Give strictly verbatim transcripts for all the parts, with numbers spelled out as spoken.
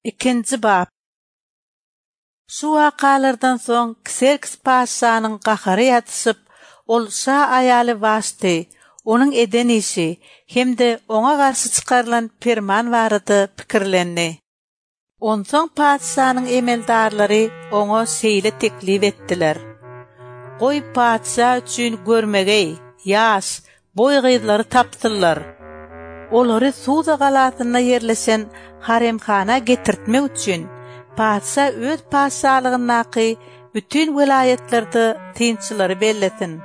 Ikinji bap. Şu wakalardan soň Kserks patyşanyň gahary ýatyşyp, ol şa aýaly Waşty, onuň eden işi hem-de oňa garşy çykarylan perman barada pikirlendi. Onsoň patyşanyň emeldarlary oňa şeýle teklip etdiler: Goý, patyşa üçin görmegeý, ýaş, boý gyzlary tapsynlar. Olary Suza galasynda ýerleşen haremhana getirtmek üçin patyşa öz patyşalygyndaky bütin welaýatlarda synçylary bellesin.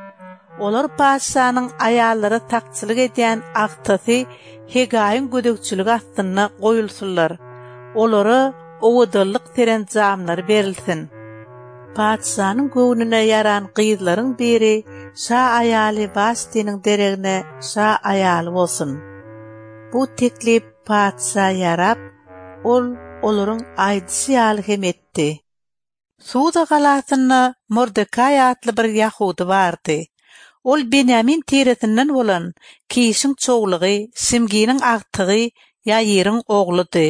Olar patyşanyň aýallara sakçylyk edýän agtasy Hegaýyň gözegçiligi astynda goýulsunlar. Olara owadanlyk serenjamlary berilsin. Patyşanyň göwnüne ýaran gyzlaryň biri şa aýaly Waştiniň deregine şa aýaly bolsun. Bu teklip patyşa ýarap, ol olaryň aýdyşy ýaly hem etdi. Suza galasynda Mordekaý atly bir ýahudy bardy. Ol Benýamin tiresinden bolan Kişiň çowlugy, Şimginiň agtygy Ýaýyryň ogludy.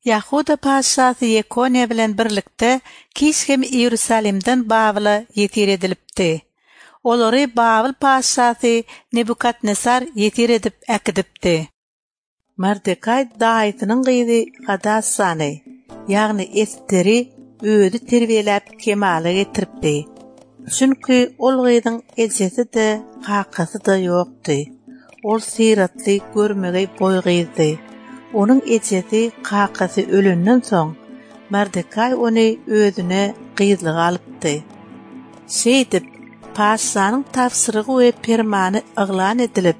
Ýahuda patyşasy Ýekoniýa bilen birlikde Kiş hem Iýerusalimden Babyla ýesir edilipdi. Olary Babyl patyşasy Nebukadnesar ýesir edip äkidipdi. Mordekaý daýysynyň gyzy Hadassany, ýagny Esteri özi terbiýeläp kemala getiripdi. Çünki ol gyzyň ejesi-de, kakasy-da ýokdy. Ol syratly, görmegeý boý gyzdy. Onuň ejesi, kakasy ölenden soň, Mordekaý ony özüne gyzlyga alypdy. Şeýdip, patyşanyň tabşyrygy we permany yglan edilip,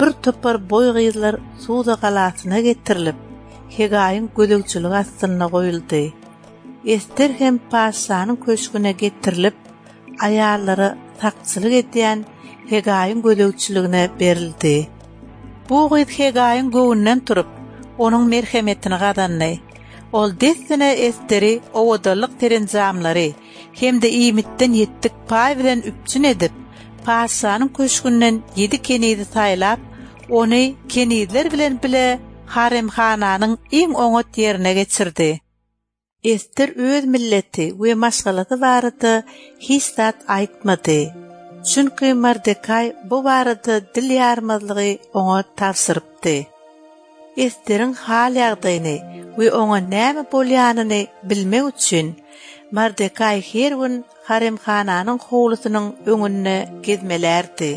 bir topar boý gyzlar Suza galasyna getirilip, Hegaýyň gözegçiligi astynda goýuldy. Ester hem patyşanyň köşgüne getirilip, aýallara sakçylyk edýän Hegaýyň gözegçiligine berildi. Bu gyz Hegaýyň göwnünden turup, onuň merhemetini gazandy. Ol dessine Esteri owadanlyk serenjamlary hem-de iýmitden ýetdik paý bilen üpjün edip, patyşanyň köşgünden ýedi kenizi saýlap, ony kenizler bilen bile haremhananyň iň oňat ýerine geçirdi. Ester öz milleti we maşgalasy barada hiç zat aýtmady. Çünki Mordekaý bu barada dil ýarmazlygy oňa tabşyrypdy. Esteriň hal-ýagdaýyny we oňa näme bolýanyny bilmek üçin Mordekaý her gün haremhananyň howlusynyň öňünde gezmelärdi.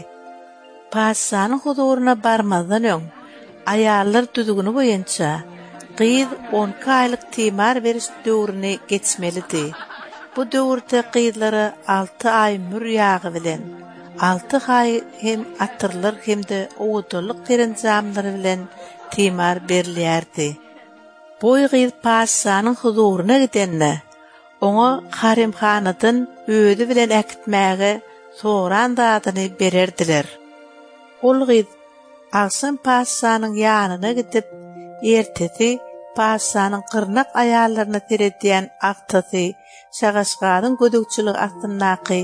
Patyşanyň huzuryna barmazdan öň, aýallar düzgüni boýunça gyz on iki aýlyk timar beriş döwrüni geçmelidi. Bu döwürde gyzlara alty aý mür ýagy bilen, alty aý hem atyrlar hem-de owadanlyk serenjamlary bilen timar berilýärdi. Boý gyz patyşanyň huzuryna gidende, oňa haremhanadan özi bilen äkitmäge soran zadyny bererdiler. Ol gyz agşam patyşanyň ýanyna gidip, ertesi patyşanyň gyrnak aýallaryna seredýän agtasy Şagaşgazyň gözegçiligi astyndaky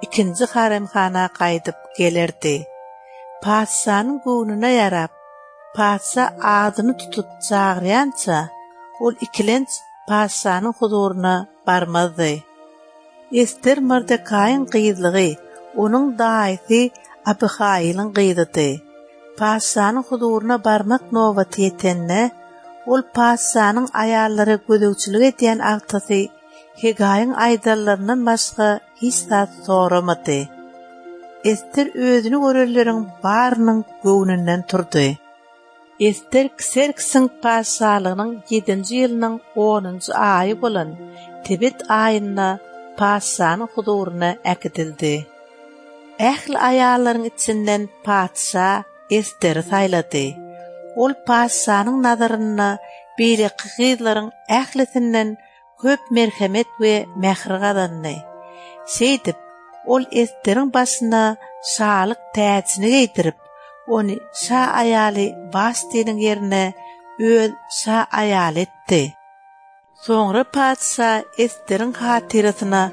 ikinji haremhana gaýdyp gelerdi. Patyşanyň göwnüne ýarap, patyşa adyny tutup çagyrýança, ol ikilenç patyşanyň huzuryna barmazdy. Ester Mordekaýyň gyzlygy, onuň daýysy Abyhaýylyň gyzydy. Patyşanyň huzuryna barmak nobaty ýetende, ol patyşanyň aýallara gözegçilik edýän agtasy Hegaýyň aýdanlaryndan başga hiç zat soramady. Ester özüni görenleriň barynyň göwnünden turdy. Ester Kserksiň patyşalygynyň ýedinji ýylynyň onunjy aýy bolan Tebet aýynda patyşanyň huzuryna äkidildi. Ähli aýallaryň içinden patyşa Esteri saýlady. Ol patyşanyň nazarynda beýleki gyzlaryň ählisinden köp merhemet we mähir gazandy. Şeýdip, ol Esteriň başyna şalyk täjini geýdirip, ony şa aýaly Waştiniň ýerine öz şa aýaly etdi. Soňra patyşa Esteriň hatyrasyna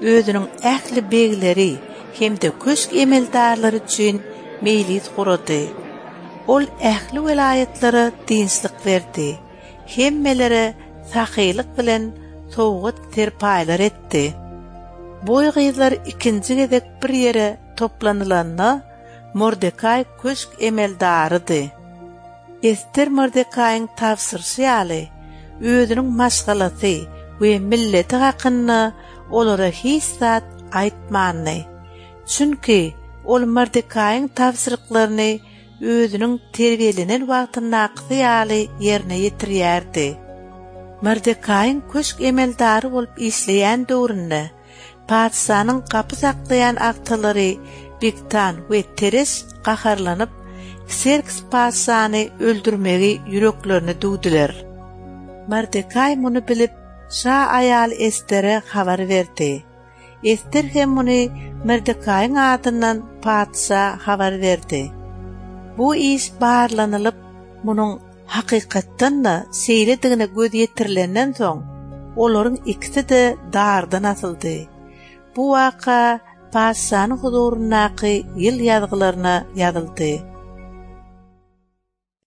özüniň ähli begleri hem-de köşk emeldarlary üçin meýlis gurady. Ol ähli welaýatlara dynçlyk berdi. Hemmelere sahylyk bilen sowgat-serpaýlar etdi. Boý gyzlar ikinji gezek bir ýere toplanylanda, Mordekaý köşk emeldarydy. Ester Mordekaýyň tabşyryşy ýaly, özüniň maşgalasy we milleti hakynda olara hiç zat aýtmandy. Çünki ol Mordekaýyň tabşyryklaryny özüniň terbiýelenen wagtyndakysy ýaly ýerine ýetirýärdi. Mordekaýyň köşk emeldary bolup işleýän döwründe patyşanyň gapy saklaýan agtalary Bigtan we Tereş gaharlanyp, Kserks patyşany öldürmegi ýüreklerine düwdüler. Mordekaý muny bilip, şa aýaly Estere habar berdi. Ester hem muny Mordekaýyň adyndan patyşa habar berdi. Bu iş barlanylyp, munuň hakykatdan-da şeýledigine göz ýetirilenden soň, olaryň ikisi-de dardan asyldy. Bu waka patyşanyň huzuryndaky ýyl ýazgylaryna ýazyldy.